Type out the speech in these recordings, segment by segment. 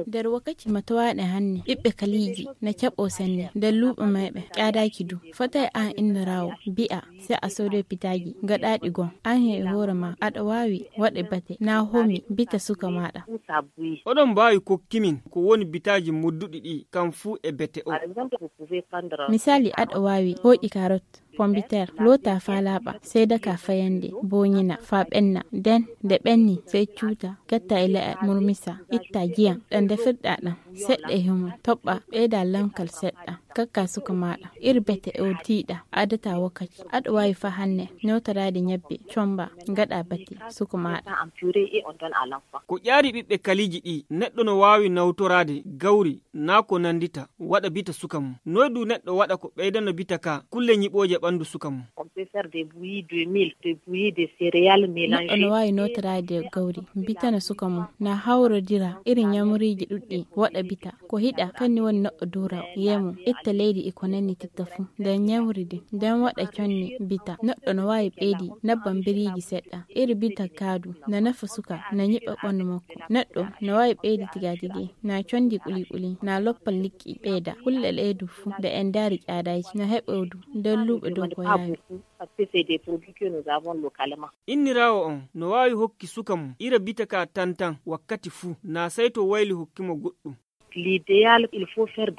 Der wakati matawaɗe hanne ɓiɓɓe kaliji na caɓo sanne da luɓe maiɓe ƙyadaki du fatai an inda rawo bi'a sai a saudo pitagi gaɗaɗi gon an he hore ma aɗa wawi waɗe bate na homi bita suka maɗa. Oɗon mbawi kokkimin ko woni bitaji mudduɗi ɗi kam fu e bete o. Misali aɗa wawi hoƴi karot pombiter lota fa laɓa sai daka fayande bonyina fa ɓenna den da ɓenni sai cuta gatta ila murmisa itta giyan ɗan da firɗa ɗan seɗɗa himo toɓɓa ɓeda lankal seɗɗa kakka suka maɗa iri bete o tiɗa adata wakati aɗa wawi fa hanne notarade nyabbe comba gaɗa bate suka maɗa. Ko ƴaari ɓiɓɓe kaliji ɗi neɗɗo no wawi nawtorade gawri na ko nandita waɗa bita suka mum noydu neɗɗo waɗa ko ɓeydano bita ka kulle nyiɓoje ɓandu suka mum. Neɗɗo no wawi notarade gawri bitana suka mum na hawrodira irin nyamuriji ɗuɗɗi waɗa bita ko hiɗa kanni woni neɗɗo dura yemu itta leydi iko nanni titta fu nden nyamridi nden waɗa conni bita neɗɗo no wawi ɓeydi nabban biriji seɗɗa iri bita kaadu na nafa suka na nyiɓa ɓandu makko neɗɗo no wawi ɓeydi tigatigi na condi kuli na loppal liƙƙi ɓeyda kulle leydu fu da en dari ƙyadaji na heɓodu nden luɓe dow ko yawi. Innirawo on no wawi hokki suka mum ira bita ka tantan wakkati fu na sai to wayli hokkimo goɗɗum.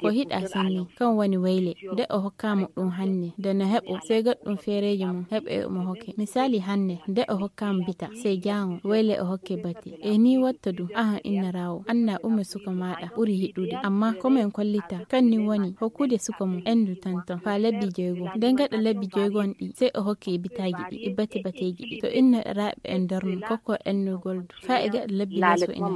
Ko hiɗa sanni kan wani wayle de o hokkamo ɗum hanne da na heɓo sai gaɗɗum fereji mum heɓe mo hokke misali hanne de o hokkamo bita sai jango wayle o hokke bate e ni watta du aha inna rawo anna umme suka maɗa ɓuri hiɗude amma komen kollita kan ni woni hokkude suka mum endu tantan fa lebbi jeygo nden gaɗa lebbi jeygon ɗi sai o hokke bitaji ɗi bate bateji ɗi to inna raɓe en darno kokko ennugol du fa e gaɗa lebbi laso ina